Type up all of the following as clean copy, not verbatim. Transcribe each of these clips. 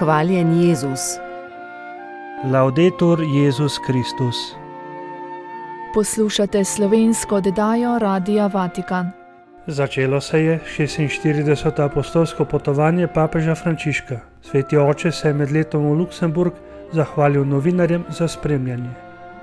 Hvaljen Jezus. Laudetur Jezus Kristus. Poslušate slovensko oddajo Radia Vatikan. Začelo se je 46. apostolsko potovanje papeža Frančiška. Sveti oče se je med letom v Luksemburg zahvalil novinarjem za spremljanje.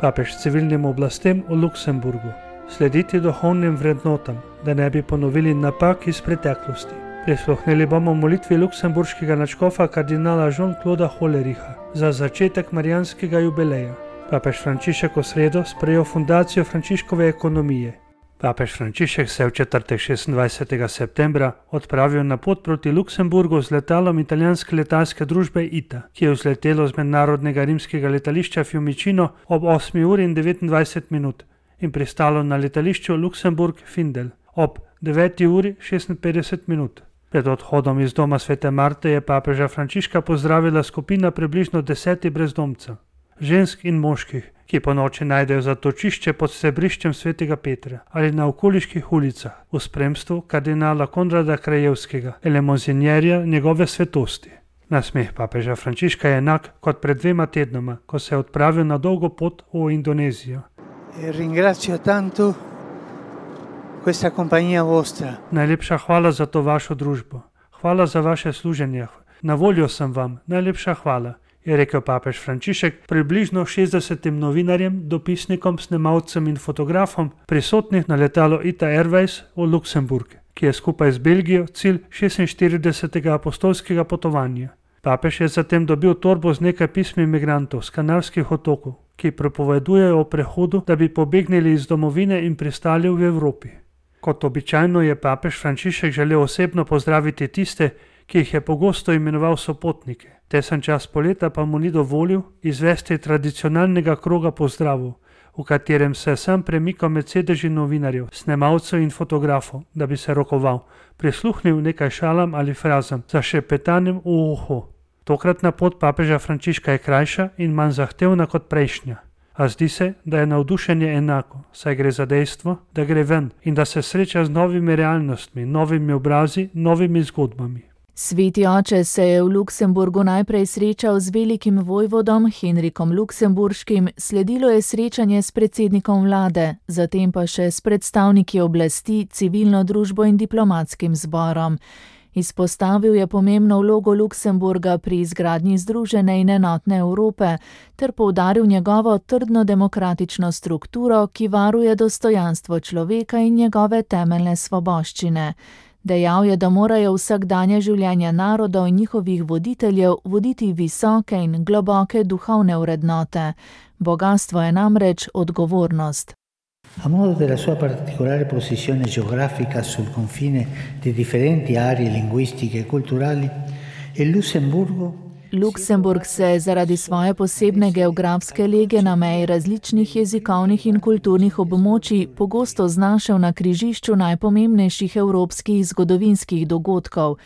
Papež civilnim oblastem v Luksemburgu. Slediti duhovnim vrednotam, da ne bi ponovili napak iz preteklosti. Prisluhnili bomo molitvi luksemburškega nadškofa kardinala Jean-Clauda Hollericha za začetek marijanskega jubileja. Papež Frančišek v sredo sprejel fundacijo Frančiškove ekonomije. Papež Frančišek se je v četrtek 26. septembra odpravil na pot proti Luksemburgu z letalom italijanske letalske družbe ITA, ki je vzletelo z mednarodnega rimskega letališča Fiumicino ob 8:29 in pristalo na letališču Luksemburg-Findel ob 9:56. Pred odhodom iz doma svete Marte je papeža Frančiška pozdravila skupina približno 10 brezdomcev, žensk in moških, ki po noči najdejo zatočišče pod stebriščem svetega Petra ali na okoliških ulicah v spremstvu kardinala Konrada Krajevskega, elemozinjerja njegove svetosti. Nasmeh papeža Frančiška je enak kot pred 2 tednoma, ko se je odpravil na dolgo pot v Indonezijo. Ringrazio tanto questa compagnia vostra. Najlepša hvala za to vašo družbo. Hvala za vaše služenje. Na voljo sem vam. Najlepša hvala, je rekel papež Frančišek približno 60 novinarjem, dopisnikom, snemalcem in fotografom prisotnih na letalu ITA Airways v Luksemburg, ki je skupaj z Belgijo cilj 46. apostolskega potovanja. Papež je zatem dobil torbo z nekaj pismi migrantov z Kanarskih otokov, ki propovedujejo o prehodu, da bi pobegnili iz domovine in pristali v Evropi. Kot običajno je papež Frančišek želel osebno pozdraviti tiste, ki jih je pogosto imenoval sopotnike. Tesen čas poleta pa mu ni dovolil izvesti tradicionalnega kroga pozdravov, v katerem se je sam premikal med sedeži novinarjev, snemalcev in fotografov, da bi se rokoval, prisluhnil nekaj šalam ali frazam za šepetanjem v uho. Tokratna pot papeža Frančiška je krajša in manj zahtevna kot prejšnja. A zdi se, da je navdušenje enako, saj gre za dejstvo, da gre ven in da se sreča z novimi realnostmi, novimi obrazi, novimi zgodbami. Sveti oče se je v Luksemburgu najprej srečal z velikim vojvodom Henrikom Luksemburškim, sledilo je srečanje s predsednikom vlade, zatem pa še s predstavniki oblasti, civilno družbo in diplomatskim zborom. Izpostavil je pomembno vlogo Luksemburga pri izgradnji združene in enotne Evrope ter poudaril njegovo trdno demokratično strukturo, ki varuje dostojanstvo človeka in njegove temeljne svoboščine. Dejal je, da morajo vsakdanje življenje narodov in njihovih voditeljev voditi visoke in globoke duhovne vrednote. Bogastvo je namreč odgovornost. A modo della sua particolare posizione geografica sul confine di differenti aree linguistiche e culturali, il Lussemburgo Luksemburg se zaradi svoje posebne geografske lege na meji različnih jezikovnih in kulturnih območij pogosto znašel na križišču najpomembnejših evropskih zgodovinskih dogodkov.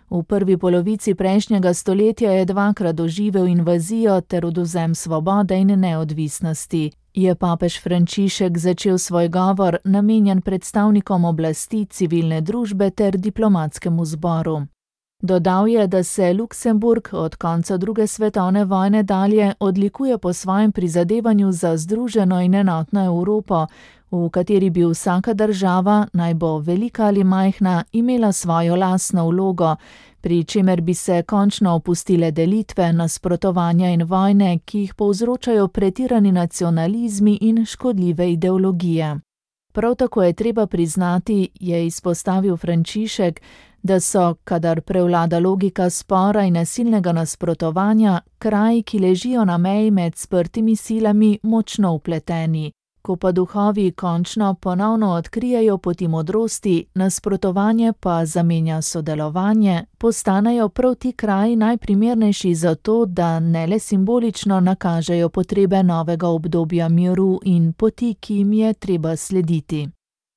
V prvi polovici prejšnjega stoletja je 2krat doživel invazijo ter odvzem svobode in neodvisnosti. Je papež Frančišek začel svoj govor namenjen predstavnikom oblasti, civilne družbe ter diplomatskemu zboru. Dodal je, da se Luksemburg od konca 2. svetovne vojne dalje odlikuje po svojem prizadevanju za združeno in enotno Evropo, v kateri bi vsaka država, naj bo velika ali majhna, imela svojo lastno vlogo, pri čemer bi se končno opustile delitve, nasprotovanja in vojne, ki jih povzročajo pretirani nacionalizmi in škodljive ideologije. Prav tako je treba priznati, je izpostavil Frančišek, da so, kadar prevlada logika spora in nasilnega nasprotovanja, kraji, ki ležijo na meji med sprtimi silami, močno vpleteni. Ko pa duhovi končno ponovno odkrijejo poti modrosti, nasprotovanje pa zamenja sodelovanje, postanejo prav ti kraji najprimernejši za to, da ne le simbolično nakažejo potrebe novega obdobja miru in poti, ki jim je treba slediti.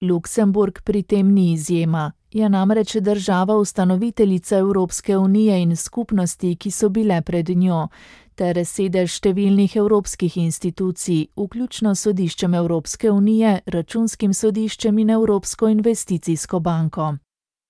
Luksemburg pri tem ni izjema. Je namreč država ustanoviteljica Evropske unije in skupnosti, ki so bile pred njo, ter sedež številnih evropskih institucij, vključno sodiščem Evropske unije, računskim sodiščem in Evropsko investicijsko banko.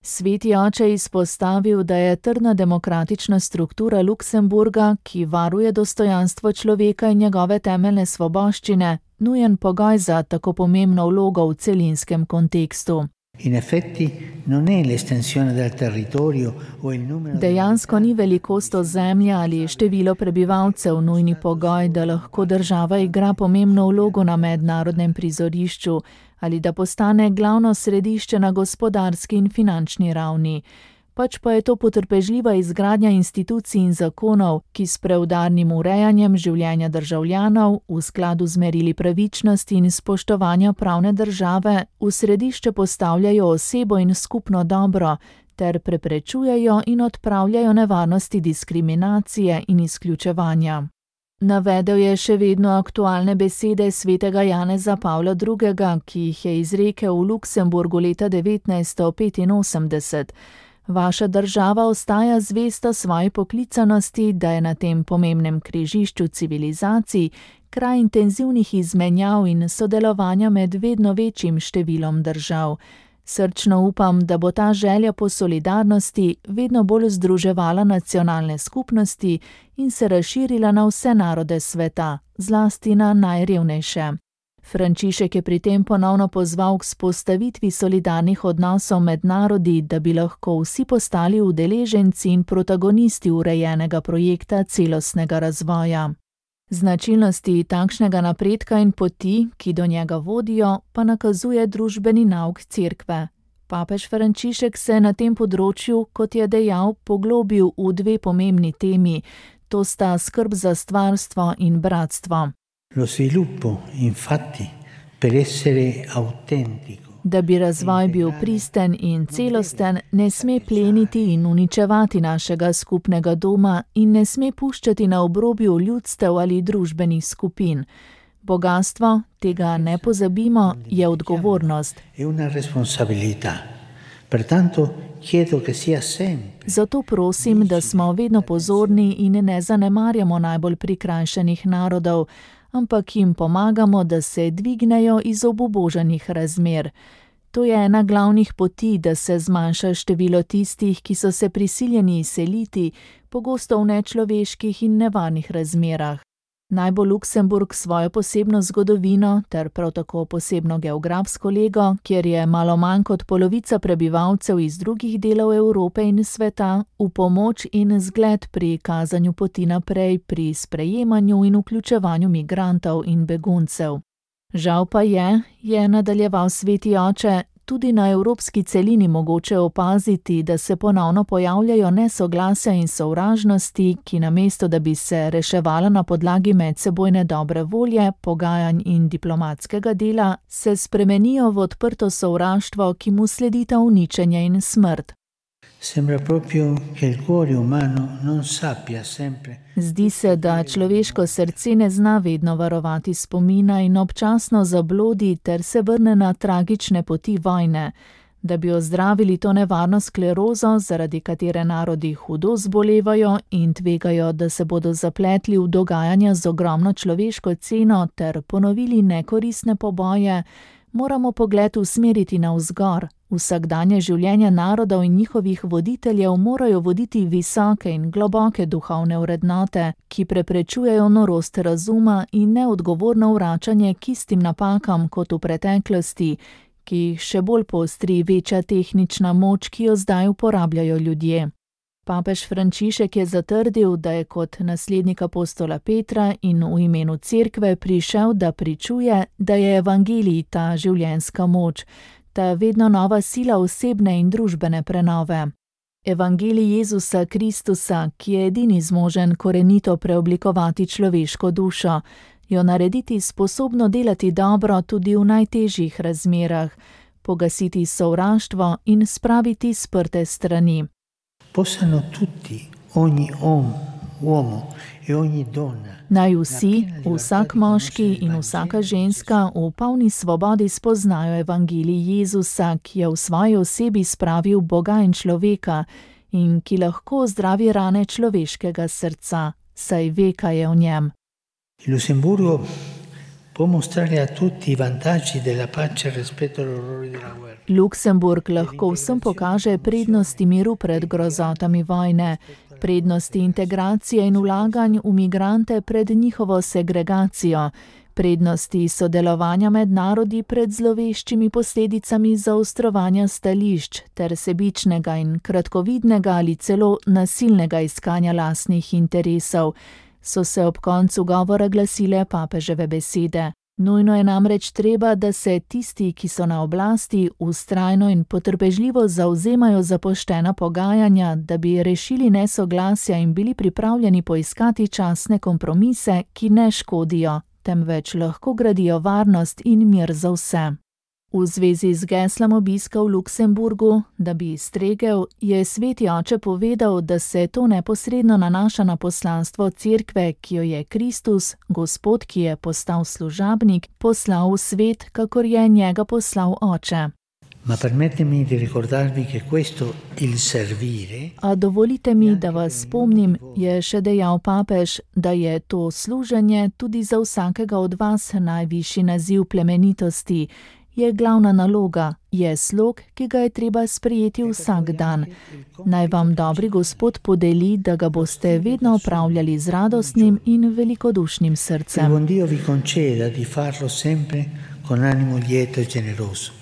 Sveti oče izpostavil, da je trdna demokratična struktura Luksemburga, ki varuje dostojanstvo človeka in njegove temeljne svoboščine, nujen pogoj za tako pomembno vlogo v celinskem kontekstu. In effetti non è l'estensione del territorio o il numero. Dejansko ni velikost ozemlja ali število prebivalcev nujni pogoj, da lahko država igra pomembno vlogo na mednarodnem prizorišču ali da postane glavno središče na gospodarski in finančni ravni. Pač pa je to potrpežljiva izgradnja institucij in zakonov, ki s preudarnim urejanjem življenja državljanov v skladu z merili pravičnosti in spoštovanja pravne države v središče postavljajo osebo in skupno dobro ter preprečujejo in odpravljajo nevarnosti diskriminacije in izključevanja. Navedel je še vedno aktualne besede svetega Janeza Pavla II., ki jih je izrekel v Luksemburgu leta 1985. Vaša država ostaja zvesta svoji poklicanosti, da je na tem pomembnem križišču civilizacij kraj intenzivnih izmenjav in sodelovanja med vedno večjim številom držav. Srčno upam, da bo ta želja po solidarnosti vedno bolj združevala nacionalne skupnosti in se razširila na vse narode sveta, zlasti na najrevnejše. Frančišek je pri tem ponovno pozval k vzpostavitvi solidarnih odnosov med narodi, da bi lahko vsi postali udeleženci in protagonisti urejenega projekta celostnega razvoja. Značilnosti takšnega napredka in poti, ki do njega vodijo, pa nakazuje družbeni nauk Cerkve. Papež Frančišek se na tem področju, kot je dejal, poglobil v dve pomembni temi, to sta skrb za stvarstvo in bratstvo. Lo sviluppo, infatti, per essere autentico. Da bi razvoj bil pristen in celosten, ne sme pleniti in uničevati našega skupnega doma in ne sme puščati na obrobju ljudstev ali družbenih skupin. Bogastvo, tega ne pozabimo, je odgovornost. È una responsabilità. Pertanto chiedo che sia sempre. Zato prosim, da smo vedno pozorni in ne zanemarjamo najbolj prikrajšanih narodov, ampak jim pomagamo, da se dvignejo iz obubožanih razmer. To je ena glavnih poti, da se zmanjša število tistih, ki so se prisiljeni izseliti, pogosto v nečloveških in nevarnih razmerah. Naj bo Luksemburg svojo posebno zgodovino ter prav tako posebno geografsko lego, kjer je malo manj kot polovica prebivalcev iz drugih delov Evrope in sveta, v pomoč in zgled pri kazanju poti naprej pri sprejemanju in vključevanju migrantov in beguncev. Žal pa je nadaljeval sveti oče, tudi na evropski celini mogoče opaziti, da se ponovno pojavljajo nesoglasja in sovražnosti, ki namesto da bi se reševala na podlagi medsebojne dobre volje, pogajanj in diplomatskega dela, se spremenijo v odprto sovraštvo, ki mu sledita uničenje in smrt. Sembra proprio che il cuore umano non sappia sempre. Zdi se, da človeško srce ne zna vedno varovati spomina in občasno zablodi ter se vrne na tragične poti vojne. Da bi ozdravili to nevarno sklerozo, zaradi katere narodi hudo zbolevajo in tvegajo, da se bodo zapletli v dogajanja z ogromno človeško ceno ter ponovili nekoristne poboje, moramo pogled usmeriti navzgor. Vsakdanje življenje narodov in njihovih voditeljev morajo voditi visoke in globoke duhovne vrednote, ki preprečujejo norost razuma in neodgovorno vračanje k istim napakam kot v preteklosti, ki jih še bolj poostri večja tehnična moč, ki jo zdaj uporabljajo ljudje. Papež Frančišek je zatrdil, da je kot naslednik apostola Petra in v imenu Cerkve prišel, da pričuje, da je evangelij ta življenjska moč, ta vedno nova sila osebne in družbene prenove. Evangelij Jezusa Kristusa, ki je edini zmožen korenito preoblikovati človeško dušo, jo narediti sposobno delati dobro tudi v najtežjih razmerah, pogasiti sovraštvo in spraviti sprte strani. Possano tutti, ogni uomo e ogni donna. Naj vsi, vsak moški in vsaka ženska v polni svobodi spoznajo evangelij Jezusa, ki je v svoji osebi spravil Boga in človeka in ki lahko zdravi rane človeškega srca, saj ve, kaj je v njem. In Lussemburgo può mostrare a tutti i vantaggi della pace rispetto agli orrori della guerra. Luksemburg lahko vsem pokaže prednosti miru pred grozotami vojne, prednosti integracije in vlaganj v migrante pred njihovo segregacijo, prednosti sodelovanja med narodi pred zloveščimi posledicami zaostrovanja stališč ter sebičnega in kratkovidnega ali celo nasilnega iskanja lastnih interesov, so se ob koncu govora glasile papeževe besede. Nujno je namreč treba, da se tisti, ki so na oblasti, vztrajno in potrpežljivo zavzemajo za poštena pogajanja, da bi rešili nesoglasja in bili pripravljeni poiskati časne kompromise, ki ne škodijo, temveč lahko gradijo varnost in mir za vse. V zvezi z geslom obiska v Luksemburgu, da bi stregel, je sveti oče povedal, da se to neposredno nanaša na poslanstvo cerkve, ki jo je Kristus, Gospod, ki je postal služabnik, poslal v svet, kakor je njega poslal oče. Ma permettetemi di ricordarvi che questo il servire. A dovolite mi, da vas spomnim, je še dejal papež, da je to služenje tudi za vsakega od vas najvišji naziv plemenitosti, je glavna naloga, je slog, ki ga je treba sprejeti vsak dan. Naj vam dobri Gospod podeli, da ga boste vedno opravljali z radostnim in velikodušnim srcem. Buon Dio vi conceda di farlo sempre con animo lieto e generoso.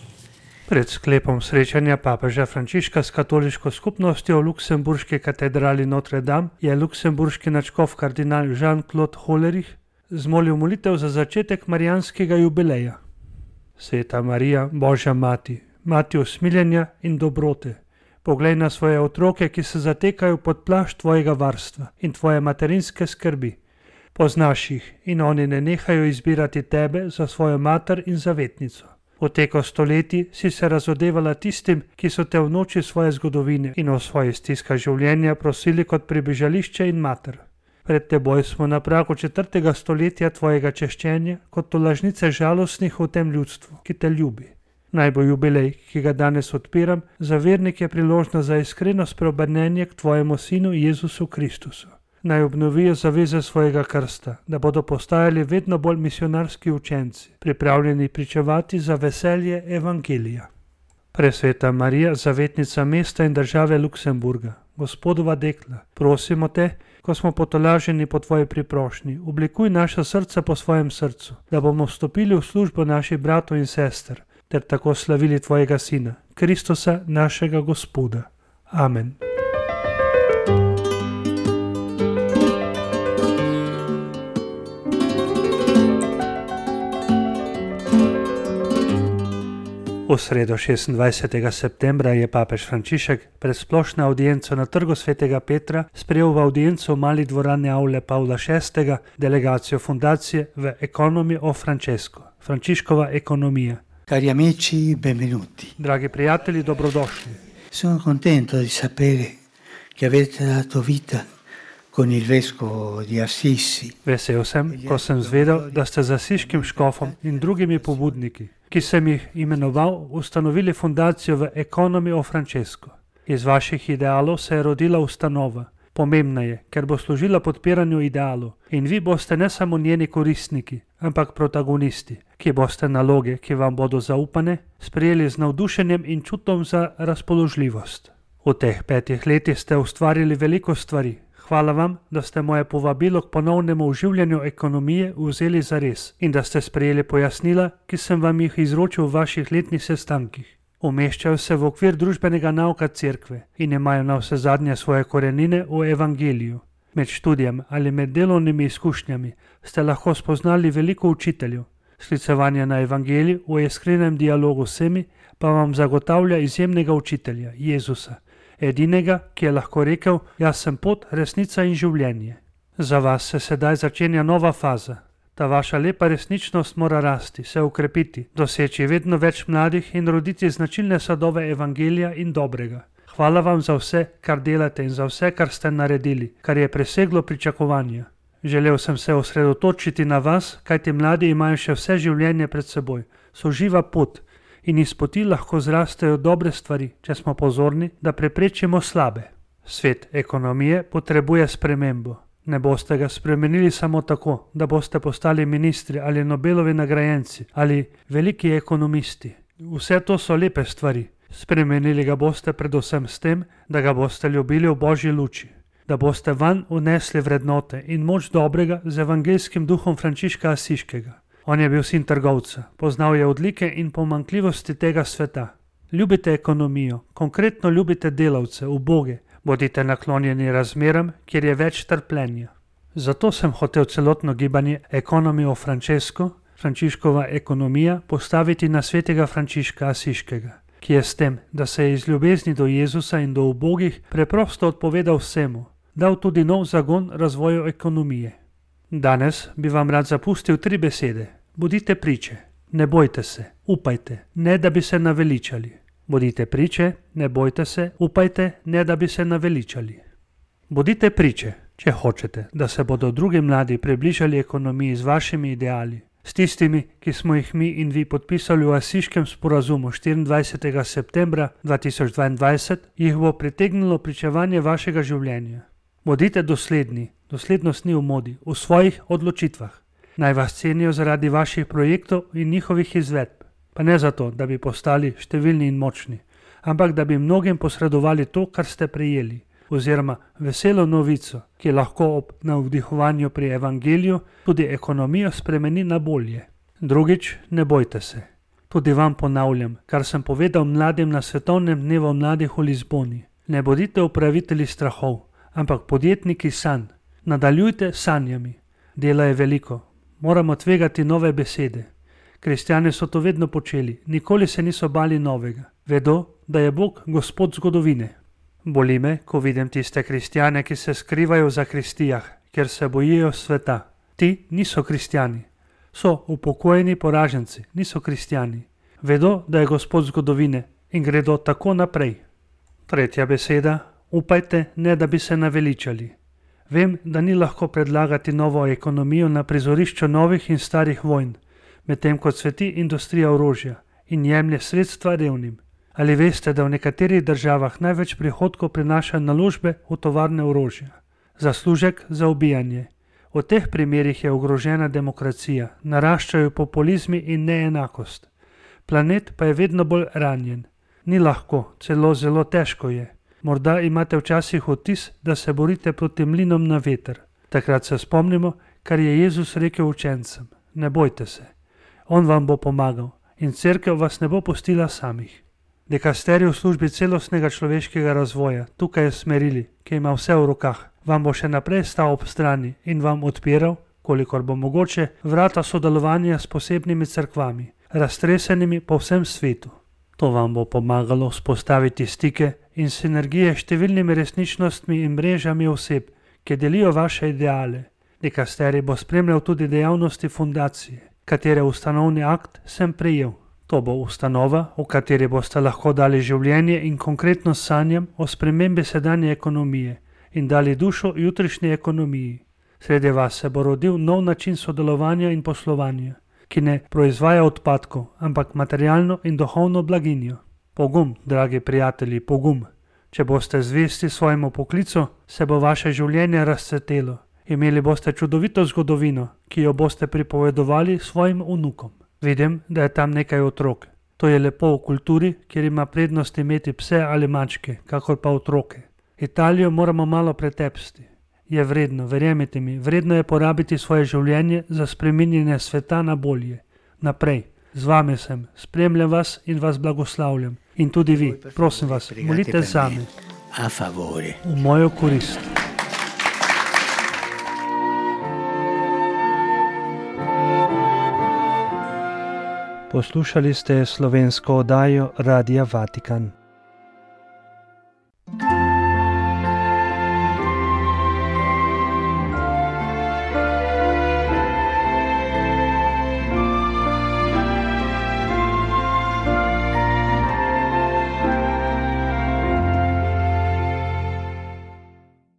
Pred sklepom srečanja papeža Frančiška s katoliško skupnostjo v luksemburški katedrali Notre Dame je luksemburški nadškof kardinal Jean-Claude Hollerich zmolil molitev za začetek marijanskega jubileja. Sveta Marija, Božja mati, mati usmiljenja in dobrote, poglej na svoje otroke, ki se zatekajo pod plašč tvojega varstva in tvoje materinske skrbi. Poznaš jih in oni ne nehajo izbirati tebe za svojo mater in zavetnico. V teko stoletij si se razodevala tistim, ki so te v noči svoje zgodovine in v svoji stiskah življenja prosili kot pribežališče in mater. Pred teboj smo na pragu 4. stoletja tvojega češčenja kot tolažnice žalostnih v tem ljudstvu, ki te ljubi. Naj bo jubilej, ki ga danes odpiram, za vernike priložnost za iskreno spreobrnenje k tvojemu sinu Jezusu Kristusu. Naj obnovijo zaveze svojega krsta, da bodo postajali vedno bolj misionarski učenci, pripravljeni pričevati za veselje evangelija. Presveta Marija, zavetnica mesta in države Luksemburga, Gospodova dekla, prosimo te, ko smo potolaženi po tvoji priprošnji, oblikuj naša srca po svojem srcu, da bomo vstopili v službo naših bratov in sester, ter tako slavili tvojega sina, Kristusa, našega Gospoda. Amen. V sredo 26. septembra je papež Frančišek pred splošno avdienco na trgu svetega Petra sprejel v avdienco v mali dvorani Aule Pavla VI. Delegacijo fundacije v Economy of Francesco, Frančiškova ekonomija. Cari amici, benvenuti. Dragi prijatelji, dobrodošli. Sono contento di sapere che avete dato vita con il vescovo di Assisi. Vesel sem, ko sem zvedel, da ste z asiškim škofom in drugimi pobudniki, ki sem jih imenoval, ustanovili fundacijo v Economy of Francesco. Iz vaših idealov se je rodila ustanova. Pomembna je, ker bo služila podpiranju idealov in vi boste ne samo njeni koristniki, ampak protagonisti, ki boste naloge, ki vam bodo zaupane, sprejeli z navdušenjem in čutom za razpoložljivost. V teh 5 letih ste ustvarili veliko stvari. Hvala vam, da ste moje povabilo k ponovnemu oživljanju ekonomije vzeli zares in da ste sprejeli pojasnila, ki sem vam jih izročil v vaših letnih sestankih. Umeščajo se v okvir družbenega nauka cerkve in imajo na vse zadnje svoje korenine v evangeliju. Med študijem ali med delovnimi izkušnjami ste lahko spoznali veliko učiteljev. Sklicevanje na evangelij v iskrenem dialogu s vsemi pa vam zagotavlja izjemnega učitelja, Jezusa, edinega, ki je lahko rekel, jaz sem pot, resnica in življenje. Za vas se sedaj začenja nova faza. Ta vaša lepa resničnost mora rasti, se ukrepiti, doseči vedno več mladih in roditi značilne sadove evangelija in dobrega. Hvala vam za vse, kar delate in za vse, kar ste naredili, kar je preseglo pričakovanja. Želel sem se osredotočiti na vas, kajti mladi imajo še vse življenje pred seboj, so živa pot in iz poti lahko zrastejo dobre stvari, če smo pozorni, da preprečimo slabe. Svet ekonomije potrebuje spremembo. Ne boste ga spremenili samo tako, da boste postali ministri ali Nobelovi nagrajenci ali veliki ekonomisti. Vse to so lepe stvari. Spremenili ga boste predvsem s tem, da ga boste ljubili v Božji luči, da boste vanj vnesli vrednote in moč dobrega z evangeljskim duhom Frančiška Asiškega. On je bil sin trgovca, poznal je odlike in pomanjkljivosti tega sveta. Ljubite ekonomijo, konkretno ljubite delavce, uboge, bodite naklonjeni razmeram, kjer je več trpljenja. Zato sem hotel celotno gibanje Economy of Francesco, Frančiškova ekonomija, postaviti na svetega Frančiška Asiškega, ki je s tem, da se je iz ljubezni do Jezusa in do ubogih preprosto odpovedal vsemu, dal tudi nov zagon razvoju ekonomije. Danes bi vam rad zapustil 3 besede. Bodite priče, ne bojte se, upajte, ne da bi se naveličali. Bodite priče, ne bojte se, upajte, ne da bi se naveličali. Bodite priče, če hočete, da se bodo drugi mladi približali ekonomiji z vašimi ideali, s tistimi, ki smo jih mi in vi podpisali v Asiškem sporazumu 24. septembra 2022, jih bo pritegnilo pričevanje vašega življenja. Bodite dosledni, doslednost ni v modi, v svojih odločitvah. Naj vas cenijo zaradi vaših projektov in njihovih izvedb. Pa ne zato, da bi postali številni in močni, ampak da bi mnogim posredovali to, kar ste prejeli, oziroma veselo novico, ki lahko ob navdihovanju pri evangeliju tudi ekonomijo spremeni na bolje. Drugič, ne bojte se. Tudi vam ponavljam, kar sem povedal mladim na svetovnem dnevu mladih v Lizboni. Ne bodite upravitelji strahov, ampak podjetniki sanj. Nadaljujte sanjami. Dela je veliko. Moramo tvegati nove besede. Kristjani so to vedno počeli, nikoli se niso bali novega. Vedo, da je Bog gospod zgodovine. Boli me, ko vidim tiste kristjane, ki se skrivajo v zakristijah, ker se bojijo sveta. Ti niso kristjani. So upokojeni poraženci, niso kristjani. Vedo, da je gospod zgodovine in gredo tako naprej. 3. beseda, upajte, ne da bi se naveličali. Vem, da ni lahko predlagati novo ekonomijo na prizorišču novih in starih vojn, medtem ko cveti industrija orožja in jemlje sredstva revnim. Ali veste, da v nekaterih državah največ prihodkov prinaša naložbe v tovarne orožja? Zaslužek za ubijanje. V teh primerih je ogrožena demokracija, naraščajo populizmi in neenakost. Planet pa je vedno bolj ranjen. Ni lahko, celo zelo težko je. Morda imate včasih vtis, da se borite proti mlinom na veter. Takrat se spomnimo, kar je Jezus rekel učencem. Ne bojte se. On vam bo pomagal in cerkev vas ne bo pustila samih. Dikasterij v službi celostnega človeškega razvoja, tukaj je Smerili, ki ima vse v rokah, vam bo še naprej stal ob strani in vam odpiral, kolikor bo mogoče, vrata sodelovanja s posebnimi cerkvami, raztresenimi po vsem svetu. To vam bo pomagalo vzpostaviti stike in sinergije s številnimi resničnostmi in mrežami oseb, ki delijo vaše ideale. Dikasterij bo spremljal tudi dejavnosti fundacije, katere ustanovni akt sem prejel. To bo ustanova, v kateri boste lahko dali življenje in konkretno sanjam o spremembi sedanje ekonomije in dali dušo jutrišnji ekonomiji. Sredi vas se bo rodil nov način sodelovanja in poslovanja, ki ne proizvaja odpadkov, ampak materialno in duhovno blaginjo. Pogum, dragi prijatelji, pogum. Če boste zvesti svojemu poklicu, se bo vaše življenje razcvetelo. Imeli boste čudovito zgodovino, ki jo boste pripovedovali svojim vnukom. Vidim, da je tam nekaj otrok. To je lepo v kulturi, kjer ima prednost imeti pse ali mačke, kakor pa otroke. Italijo moramo malo pretepsti. Je vredno, verjemite mi, vredno je porabiti svoje življenje za spreminjanje sveta na bolje. Naprej, z vami sem, spremljam vas in vas blagoslavljam. In tudi vi, prosim vas, molite zame. V mojo korist. Poslušali ste slovensko oddajo Radia Vatikan.